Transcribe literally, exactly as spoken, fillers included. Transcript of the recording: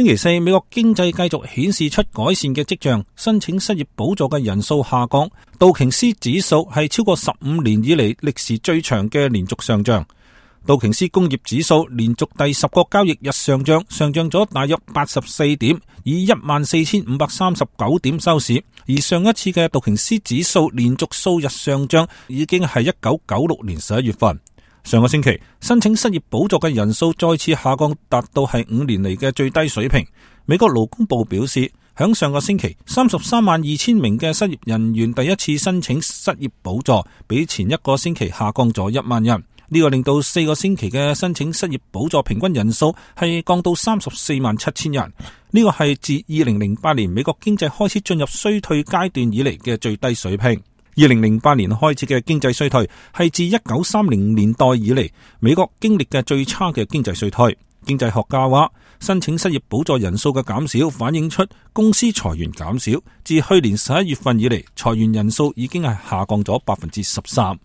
星期四，美國經濟繼續顯示出改善嘅跡象，申請失業補助嘅人數下降。道瓊斯指數係超過十五年以嚟歷時最長嘅連續上漲。道瓊斯工業指數連續第十個交易日上漲，上漲咗大約八十四點，以一萬四千五百三十九點收市。而上一次嘅道瓊斯指數連續數日上漲，已經係一九九六年十一月份。上個星期申請失業補助嘅人數再次下降，達到係五年嚟嘅最低水平。美國勞工部表示，響上個星期三十三萬二千名嘅失業人員第一次申請失業補助，比前一個星期下降咗一萬人。呢個令到四個星期嘅申請失業補助平均人數係降到三十四萬七千人。呢個係自二零零八年美國經濟開始進入衰退階段以嚟嘅最低水平。二零零八年開始嘅經濟衰退係自一九三零年代以嚟美國經歷嘅最差嘅經濟衰退。經濟學家話，申請失業補助人數嘅減少反映出公司裁員減少，自去年十一月份以嚟，裁員人數已經係下降咗百分之十三。